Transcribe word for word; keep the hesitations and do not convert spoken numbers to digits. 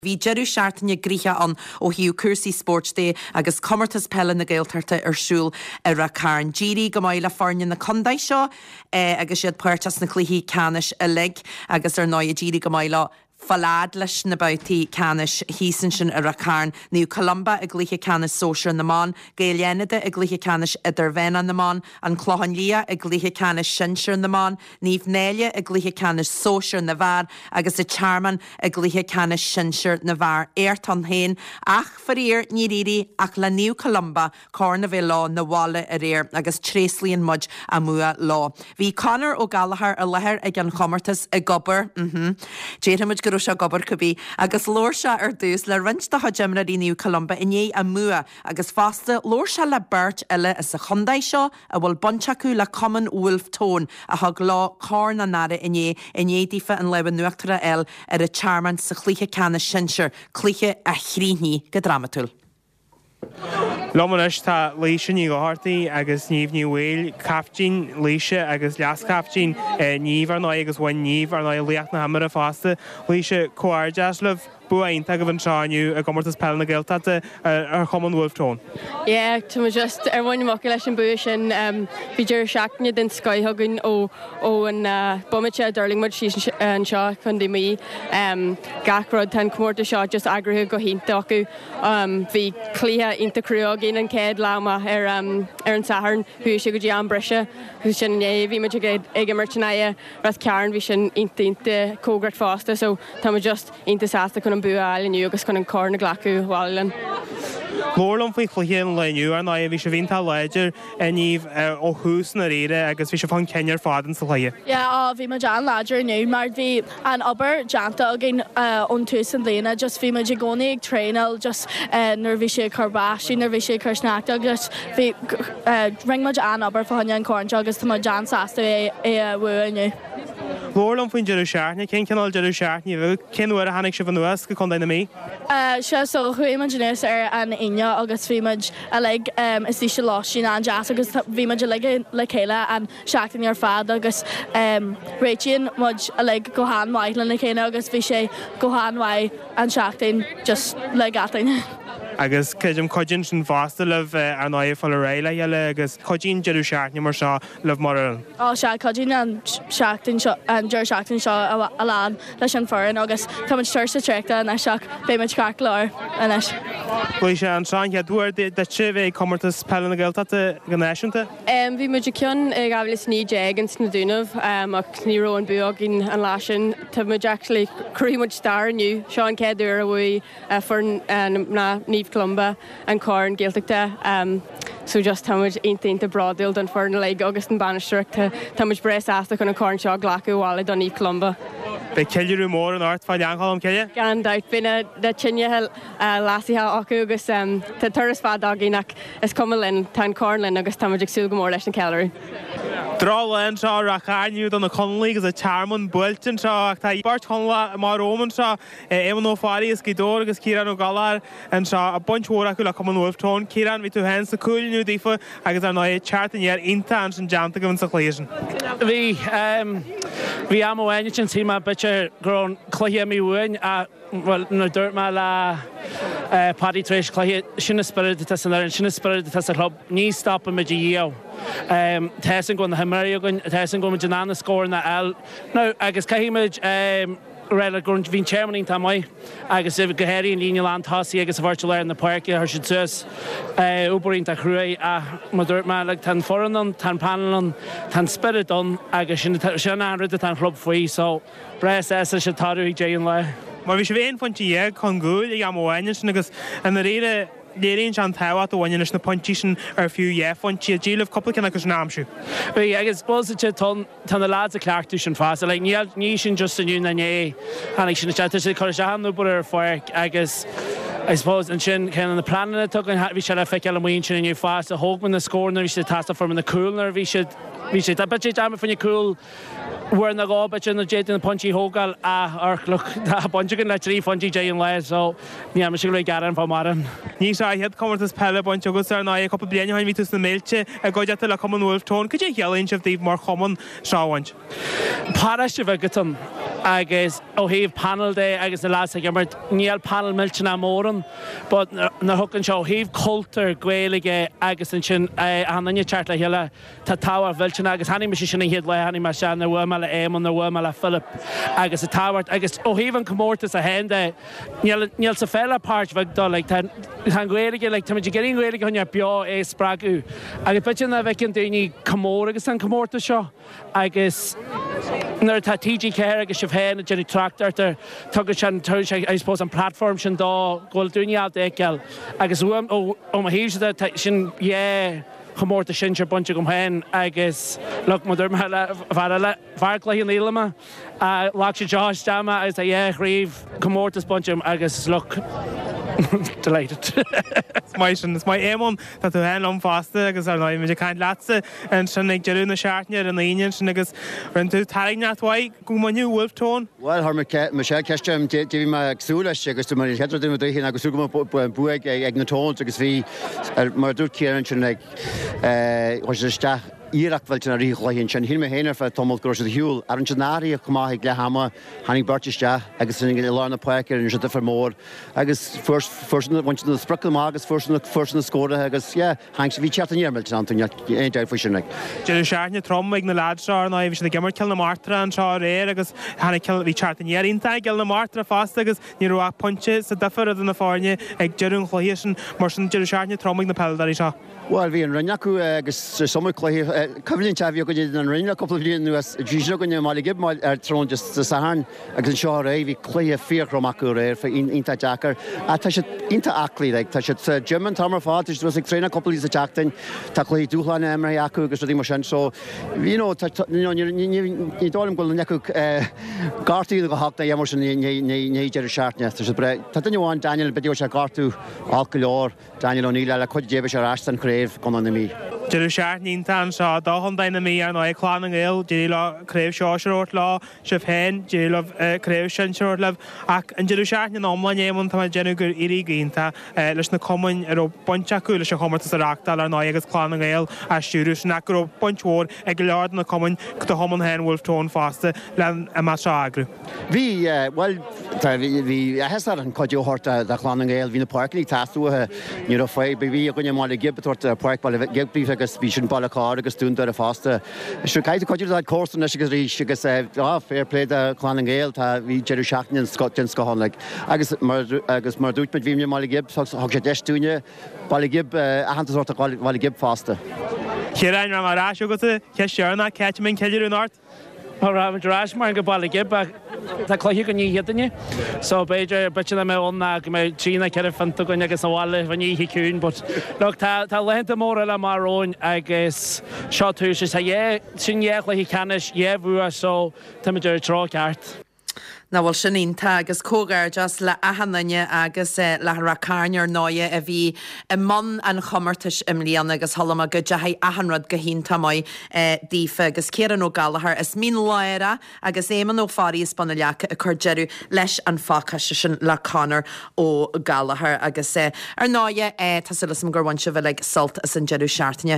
Bhí deireadh seachtaine gnoitheach ann ó thaobh cúrsaí spóirt de agus comórtas peile na Gaeltachta ar siúl i Ráth Cairn. D'éirigh go maith le foirne na contae seo eh, agus iad páirteach sna cluichí ceannais uilig agus ar ndóigh d'éirigh go maith leo fáil fhad leis na babhtaí ceannais thíos ansin i Ráth Cairn, Naomh Columba i gcluiche ceannais sóisir na mban, Gaeil Fhánada i gcluiche ceannais idirmheánach na mban, An Clochán Liath i gcluiche ceannais sinsir na mban, Naomh Náille i gcluiche ceannais sóisir na bhfear agus an Tearmann i gcluiche ceannais sinsir na bhfear. Éacht ann féin ach faraor níor éirigh ach le Naomh Columba corn a bheith leo 'na bhaile aréir agus tréaslaíonn muid a mbua leo. Bhí Conor Ó Gallchóir i láthair ag an chomórtas ag obair, mhm. Déarfaimid go raibh sé ag obair cibé, agus labhair sé ar dtús le roinnt de chuid imreoirí Naomh Columba i ndiaidh a mbua agus fosta labhair sé le beirt eile as an chontae seo a bhfuil baint acu le Cumann Wolfe Tone a thug leo Corn an Aire inné i ndiaidh daofa an lámh in uachtar a fháil ar an Tearmann sa chluiche ceannais sinsir, cluiche a chríochnaigh go drámatúil. Liom anois tá Laoise Ní Dhochartaigh agus Niamh Ní Bhaoill, caiftín Laoise agus leas-chaiftín Niamh ar ndóigh agus bhain Niamh ar ndóigh laoch na himeartha fosta. Laoise, comhghairdeas libh, bua iontach agaibh anseo inniu i gcomórtas peile na Gaeltachta ar Chumann Wolfe Tone. Yeah, tá muid just ar mhuin na muice leis an bua sin. Bhí deireadh seachtaine den scoith againn ó ó an bomaite a d'fhulaing muid síos anseo Contae Mí. Gach rud tá an comórtas seo just eagraithe go hiontach acu. Bhí cluiche iontach crua againn an chéad lá amach ar ar an Satharn, chuaigh sé go dtí am breise agus sin inné bhí muid ag ag imirt in aghaidh Ráth Cairn, bhí sin iontach iontach cóngarach fosta, so tá muid just iontach sásta chun an bua a fháil inniu agus chun an corn a ghlacadh abhaile linn. Labhair liom faoi chluiche an lae inniu ar ndóigh, bhí sibh iontach láidir a Niamh ó thús na ríre agus bhí sibh chun cinn ar fad in sa chluiche. Yeah, á bhí muid an-láidir inniu mar bhí an obair déanta againn ón tús an bhliana, just bhí muid i gcónaí ag traenáil just nuair bhí sé ag cur báistí, nuair bhí sé ag cur sneachta agus bhí rinne muid an-obair fá choinne an corn seo agus tá muid an-sásta é é a bhua inniu. Labhair liom faoin deireadh seachtaine, cén cineál deireadh seachtaine a bhí? Cén uair a tháinig sibh anuas go Contae na Mí? Sea, so chuaigh muid anuas ar an Aoine agus bhí muid uilig istigh sa lóistín an-deas agus bhí muid uilig le chéile an seachtain ar fad agus réitíonn muid uilig go han-mhaith lena chéile agus bhí sé go han-mhaith an seachtain just le gach duine. Agus creidim cuidíonn sin fosta libh ar ndóigh fáil ar aghaidh le chéile agus cuidíonn deireadh seachtaine mar seo libh mar fhoireann. Ó sea, cuidíonn an seachtain seo an deireadh seachtaine seo a lán leis an foireann agus tá muid tuirseach traochta anois ach beidh muid ceart go leor anois. Laoise, an seo an chéad uair duit a bheith ag comórtas peile na Gaeltachta go náisiúnta? Bhí muid ag ceann i dhá mhíle is naoi déag ins na Dúnaibh ach ní raibh an bua againn an lá sin. Tá muid actually, chruthaigh muid stair inniu. Seo an chéad uair a bhuaigh foireann na mná Naomh Columba an Corn Gaeltachta. So just tá muid iontach iontach bródúil don foireann uilig agus don bainistíocht. Tá muid breá sásta chun an corn seo a ghlacadh abhaile do Naomh Columba. Beidh ceiliúradh mór anocht fá Ghleann Cholm Cille? Gan dabht, beidh na tine leasaithe acu agus tá turas fada againn ach is cuma linn, tá an corn linn agus tá muid ag súil go mór leis an ceiliúradh. Drochlá anseo i Ráth Chairn inniu do na Conallaigh agus an Tearmann buailte anseo ach tá beirt Chonallach amach romham anseo, Éamonn Ó Fearraigh as Gaoth Dobhair agus Ciarán Ó Gallchóir anseo, baint mhór acu le Cumann Wolfe Tone. Ciarán, bhí tú féin sna cúil inniu daofa agus ar ndóigh teacht aniar iontach ansin déanta agaibh sa chluiche sin. Bhí. Bhí am amháin ansin shíl mé b'fhéidir go raibh an cluiche imithe uainn ach bhuel nuair a dúirt mé le Paddy tar éis cluiche, sin an spiorad atá san fhoireann, sin an spiorad atá sa chlub, ní stopfaimid a dhíol. Tá fhios againn go bhfuil na himreoirí againn, tá fhios againn go bhfuil muid in ann na scóranna a fháil. Now agus caithfidh muid rá le go bhí an Tearmann iontach maith agus go háirithe an líne lán tosaigh agus an bheirt i lár na páirce, chuir siad suas obair iontach cruaidh ach mar dúirt mé like tá an foireann ann, tá an panel ann, tá an spiorad ann agus sin sin an rud atá an chlub faoi so breá sásta leis an toradh ag deireadh an lae. Mar bhí sibh aon phointe dhéag chun cúil ag am amháin ansin agus i ndáiríre léiríonn sé an tábhacht a bhaineann leis na pointí sin ar fiú dhá phointe iad. D'éirigh libh cúpla ceann acu sin a aimsiú. Bhí agus bhuel tá tá na lads ag cleachtadh sin fosta. Like níl ní sin just inniu ná inné tháinig sin isteach. Tá siad ag cur isteach an obair ar an pháirc agus I suppose ansin ceann de na pleananna atá againn bhí sé le feiceáil amuigh ansin inniu fosta. Thóg muid na scóranna nuair a bhí siad ag teastáil fuair muid na cúil nuair a bhí siad bhí sé bit dearmad faoin cúl uair nó dhó b'fhéidir nuair d'fhéadfaí na pointí a thógáil ach look tá baint againn le trí phointí déag an lae so ní mise go gearán fá mórán. Ní seo an chéad comórtas peile bainte agat ar ndóigh cúpla bliain ó shin bhí tú sna mílte i gcuideachta le Cumann Wolfe Tone. Cad é a chiallaíonn sé daoibh mar chumann seo a bhaint? Paráiste bheag atá ann agus ó thaobh panel de agus na lads ag imirt níl panel millteanach mór ann but na thugann seo ó thaobh cultúr Gaeilge agus ansin an duine teacht le chéile tá tábhacht mhillteanach agus tháinig mise sin an chéad lá tháinig mé isteach nuair bhuail mé le Éamonn nuair bhuail mé le Philip agus a tábhacht agus ó thaobh an comórtas a haon de níl níl sa pheil ach páirt bheag dó like tá tá an Ghaeilge like táimid ag iarraidh an Ghaeilge a choinneáil beo é a spreagadh agus b'fhéidir nach bhfeiceann daoine chomh mór agus an comórtas seo agus nuair atá T G ceathair agus sibh féin ag déanamh tráchtaireacht air tugann sé an tugann sé I suppose an platform sin dó go bhfuil daoine ábalta a fheiceáil agus uaim ó ó mo thaobhsa de tá sin dhá chomórtas sinsir bainte agam féin agus look mar dúirt mé le fear eile fear Chloich Cheann Fhaola mé ghlac sé seo isteach mé agus tá dhá chraobh comórtas bainte agam agus look delighted. Is maith sin, is maith Éamonn, tá tú féin liom fosta agus ar ndóigh muid ag caint leatsa ansin ag deireadh na seachtaine ar an Aoine ansin agus rinne tú tairngreacht mhaith go mbainfeadh Wolfe Tone. Bhuel, chuir Michelle ceist orm, cad é bhí mé ag súil leis agus dúirt mé an chéad rud a dúirt ná ag súil go mbeadh bua ag na Tones agus bhí, mar a dúirt Ciarán ansin, like, chuir siad isteach iarracht mhillteanach i rith an chluiche ansin. Shíl mé féin ar feadh tamaill go raibh siad ar shiúl. Ach rinne siad na hathruithe chomh maith ag leath ama, tháinig beirt isteach agus i lár na páirce rinne siad difear mór agus fuair siad, bhain siad na spriocanna amach agus fuair siad na, fuair siad na scóraithe agus yeah, tháinig siad, bhí teacht aniar millteanach iontu, níl aon dabht faoi sin like. Deireadh seachtaine trom ag na leaids seo ar ndóigh, bhí siad ag imirt Cill na Martra anseo aréir agus tháinig Cill, bhí teacht aniar iontach ag Cill na Martra fosta agus ní raibh ach pointe sa difear idir na foirne ag deireadh an chluiche sin, mar sin deireadh seachtaine trom ag na peileadóirí seo. Bhuel, bhí an Rinn acu agus is iomaí cluiche, coimhlint a bhí againne in an Rinn le cúpla bliain anuas. Bhí siad againne i mBaile Ghib ar tráthnóna Dé Sathairn agus anseo aréir bhí cluiche fíorthrom acu aréir, iontach deacair. Ach tá siad iontach aclaí, like, tá siad sa gym an t-am ar fad, tá siad ag traenáil cúpla lá sa tseachtain, tá cluichí dúshláin imeartha acu agus rudaí mar sin. So, you know, tá, you know, ní, ní, ní dóigh liom go bhfuil duine acu gortaithe go holc ná mar sin i ndiaidh deireadh seachtaine. Tá siad breá. Tá duine amháin, Daniel, b'fhéidir go bhfuil sé gortú olc go leor. Daniel O'Neill le cuid déibh ar ais san chraobh Chontae na Mí. Deireadh seachtaine iontach anseo do Chontae na Mí ar ndóigh, Clann na nGael, d'éirigh leo craobh sóisir a thabhairt leo, sibh féin, d'éirigh libh craobh sinsir a thabhairt libh. Ach an deireadh seachtaine ina iomláine, Éamonn, tá mé ag déanamh gur éirigh go hiontach leis na cumainn a raibh baint acu leis an chomórtas a reáchtáil ar ndóigh agus Clann na nGael á stiúradh sin ach go raibh baint mhór ag go leor de na cumainn, do chumann féin Wolfe Tone fosta, le an imeacht seo a eagrú. Bhí, bhuel, tá, bhí áthas ar an cuidiú a thabhairt do Chlann na nGael. Bhí na páirceanna ag teastáil uathu. Ní raibh fadhb ar bith againne i mBaile Ghib ag tabhairt páirc Baile Ghib agus bhí sin Baile Chláir agus Dún Doire fosta. Sure, caithfidh tú cuidiú le comharsan anois agus arís agus ah, fair play do Chlann na nGael, tá, bhí deireadh seachtaine den scoth ann like. Agus mar, agus mar a dúirt muid, bhí muid i mBaile Ghib, thug sé deis dúinne Baile Ghib, aitheantas a thabhairt do Bhaile Ghib fosta. Ciarán, rachaidh mé ar ais chugatsa, ceist dheireanach, cá háit a mbeidh an ceiliúradh anocht? Rachaimid ar ais mar go Baile Ghib ach tá cluiche againn oíche Chéadaoine so b'fhéidir b'fhéidir nach mbeidh ann ná go mbeidh trí nó ceithre phionta againn agus abhaile faoin oíche ciúin but look tá tá laethanta móra eile amach romhainn agus seo tús is tá dhá sin dhá chluiche ceannais dhá bhua so táimid ar an treo ceart. Nach bhfuil sin iontach agus comhghairdeas le achan duine agus le Ráth Cairn ar ndóigh a bhí i mbun an chomórtais i mbliana agus chuala mé go dteachaigh achan rud go hiontach maith daofa agus Ciarán Ó Gallchóir as Mín Lárach agus Éamonn Ó Fearraigh as Bun an Leaca ag cur deireadh leis an phacáiste sin le Conor Ó Gallchóir agus ar ndóigh tá súil agam gur bhain sibh uilig sult as an deireadh seachtaine.